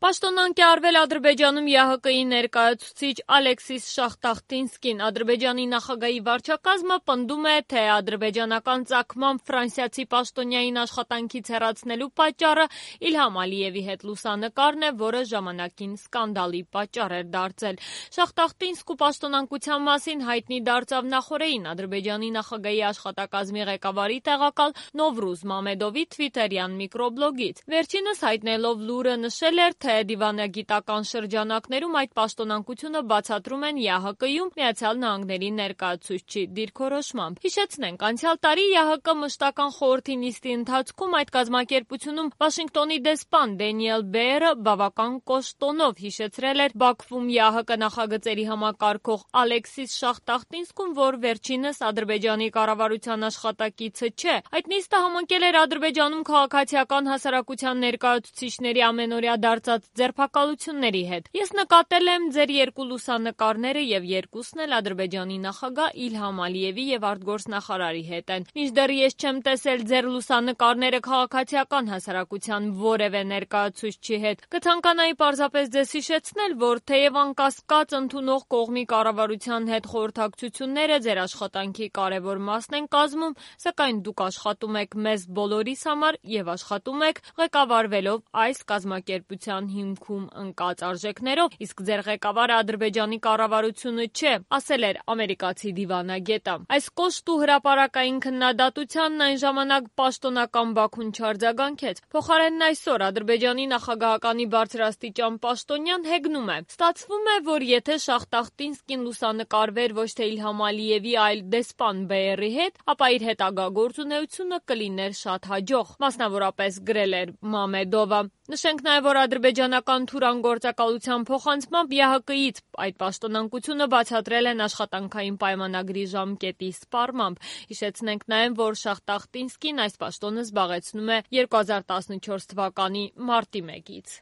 Պաշտոնանկ է արվել Ադրբեջանում ԵԱՀԿ-ի ներկայացուցիչ Ալեքսիս Շախտախտինսկին։ Ադրբեջանի նախագահի վարչակազմը պնդում է, թե ադրբեջանական ծագմամբ ֆրանսիացի պաշտոնյային աշխատանքից հեռացնելու պատճառը Իլհամ Ալիևի հետ լուսանկարն է, որը ժամանակին սկանդալի պատճառ էր դարձել։ Շախտախտինսկու պաշտոնանկության մասին հայտնի դարձավ նախօրեին Ադրբեջանի նախագահի աշխատակազմի ղեկավարի տեղակալ Նովրուզ Մամեդովի թվիթերյան միկրոբլոգից։ Վերջինս հայտնելով լուրը նշել էր, թե դիվանագիտական շրջանակներում այդ պաշտոնանկությունը բացատրում են ԵԱՀԿ-ում Միացյալ Նահանգների ներկայացուցչի դիրքորոշմամբ։ Հիշեցնենք, անցյալ տարի ԵԱՀԿ մշտական խորհրդի նիստի ընթացքում այդ կազմակերպությունում Վաշինգտոնի դեսպան Դենիել Բեերը բավական կոշտ տոնով հիշեցրել էր Բաքվում ԵԱՀԿ նախագծերի համակարգող Ալեքսիս Շախտախտինսկուն, որ վերջինս Ադրբեջանի կառավարության աշխատակիցը չէ։ Այդ նիստը համընկել էր Ադրբեջանում քաղաքացիական հասարակության ներկայացուցիչների ամենօրյա դարձած ձերբակալությունների հետ։ Ես նկատել եմ ձեր երկու լուսանկարները եւ երկուսն էլ Ադրբեջանի նախագահ Իլհամ Ալիևի եւ արտգործնախարարի հետ են։ Մինչդեռ ես չեմ տեսել ձեր լուսանկարները քաղաքացիական հասարակության որևէ ներկայացուցչի հետ։ Կցանկանայի պարզապես ձեզ հիշեցնել, որ թեև անկասկած ընդունող կողմի կառավարության հետ խորհրդակցությունները ձեր աշխատանքի կարևոր մասն են կազմում, սակայն դուք աշխատում եք մեզ բոլորիս համար եւ աշխատում եք ղեկավարվելով այս կազմակերպության հիմքում ընկած արժեքներով, իսկ ձեր ղեկավարը Ադրբեջանի կառավարությունը չէ, ասել էր ամերիկացի դիվանագետը։ Այս կոշտ ու հրապարակային քննադատությանն այն ժամանակ պաշտոնական Բաքուն չարձագանքեց։ Փոխարենն այսօր Ադրբեջանի նախագահականի բարձրաստիճան պաշտոնյան հեգնում է։ Ստացվում է, որ եթե Շախտախտինսկին լուսանկարվեր ոչ թե Իլհամ Ալիևի, այլ դեսպան Բեերի հետ, ապա իր հետագա գործունեությունը կլիներ շատ հաջող, մասնավորապես գրել էր Մամեդովը։ Նշենք նաև, որ ադրբեջանական Թուրան գործակալության փոխանցմամբ ԵԱՀԿ-ից այդ պաշտոնանկությունը բացատրել են աշխատանքային պայմանագրի ժամկետի սպառմամբ։ Հիշեցնենք նաև, որ Շախտախտինսկին այս պաշտոնը զբաղեցնում է 2014 թվականի մարտի 1-ից։